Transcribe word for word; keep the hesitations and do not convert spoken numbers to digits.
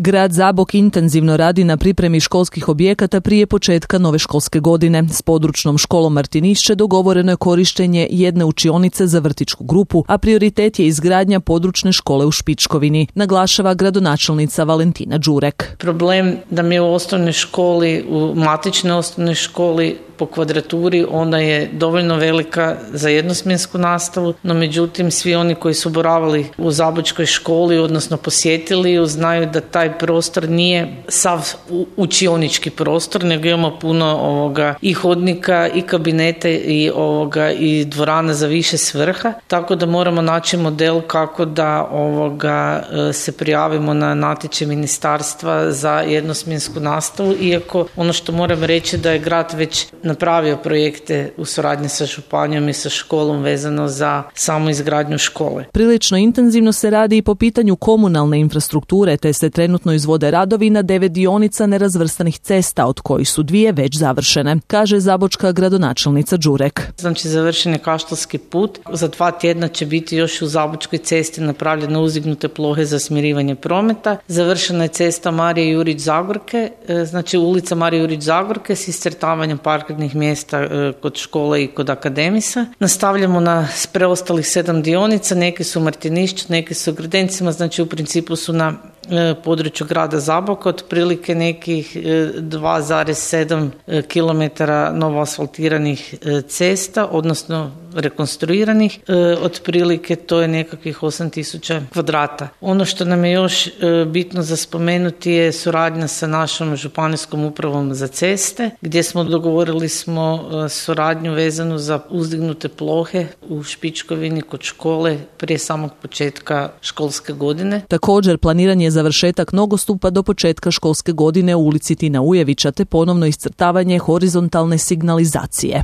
Grad Zabok intenzivno radi na pripremi školskih objekata prije početka nove školske godine. S područnom školom Martinišće dogovoreno je korištenje jedne učionice za vrtićku grupu, a prioritet je izgradnja područne škole u Špičkovini, naglašava gradonačelnica Valentina Đurek. Problem da mi u osnovnoj školi, u matičnoj osnovnoj školi po kvadraturi ona je dovoljno velika za jednosmjensku nastavu, no međutim svi oni koji su boravili u zabočkoj školi, odnosno posjetili ju, znaju da taj prostor nije sav učionički prostor, nego imamo puno ovoga i hodnika i kabinete i ovoga i dvorana za više svrha, tako da moramo naći model kako da ovoga se prijavimo na natječaj ministarstva za jednosmjensku nastavu, iako ono što moram reći da je grad već napravio projekte u suradnji sa županijom i sa školom vezano za samu izgradnju škole. Prilično intenzivno se radi i po pitanju komunalne infrastrukture, te se trenutno izvode radovi na devet dionica nerazvrstanih cesta, od kojih su dvije već završene, kaže zabočka gradonačelnica Đurek. Znači, završen je Kaštelski put. Za dva tjedna će biti još u Zabočkoj cesti napravljene uzdignute plohe za smirivanje prometa. Završena je cesta Marije Jurić Zagorke, znači ulica Marije Jurić Zagorke s iscrtavanjem parkirnih mjesta kod škole i kod akademisa. Nastavljamo na preostalih sedam dionica, neke su Martinišć, neke su Grdencima, znači u principu su na području grada Zaboka, otprilike nekih dva zarez sedam kilometara novo asfaltiranih cesta, odnosno rekonstruiranih, otprilike to je nekakvih osam tisuća kvadrata. Ono što nam je još bitno za spomenuti je suradnja sa našom županijskom upravom za ceste, gdje smo dogovorili smo suradnju vezanu za uzdignute plohe u Špičkovini kod škole prije samog početka školske godine. Također planiran je završetak nogostupa do početka školske godine u ulici Tina Ujevića te ponovno iscrtavanje horizontalne signalizacije.